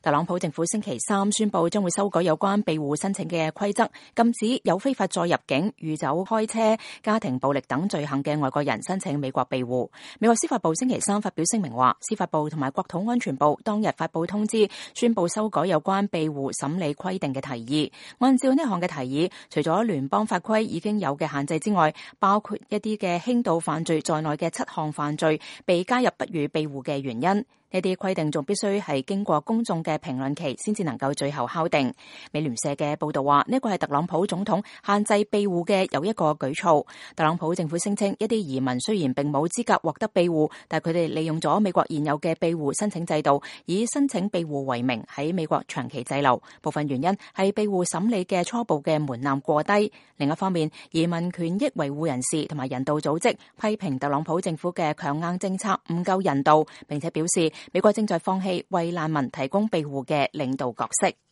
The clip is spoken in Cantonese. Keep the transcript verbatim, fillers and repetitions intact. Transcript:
特朗普政府星期三宣布將會修改有關庇護申請嘅規則，禁止有非法載入境、酗酒開車、家庭暴力等罪行嘅外國人申請美國庇護。美國司法部星期三發表聲明話，司法部同埋國土安全部當日發布通知，宣布修改有關庇護審理規定嘅提議。按照呢項嘅提議，除咗聯邦法規已經有嘅限制之外，包括一啲嘅輕度犯罪在內嘅七項犯罪被加入不予庇護嘅原因。呢啲規定仲必須係經過公眾嘅評論期先至能夠最後敲定。美聯社嘅報道話，呢個係特朗普總統限制庇護嘅又一個舉措。特朗普政府聲稱，一啲移民雖然並冇資格獲得庇護，但佢哋利用咗美國現有嘅庇護申請制度，以申請庇護為名喺美國長期滯留。部分原因係庇護審理嘅初步嘅門檻過低。另一方面，移民權益維護人士同埋人道組織批評特朗普政府嘅強硬政策唔夠人道，並且表示美國正在放棄為難民提供庇護嘅領導角色。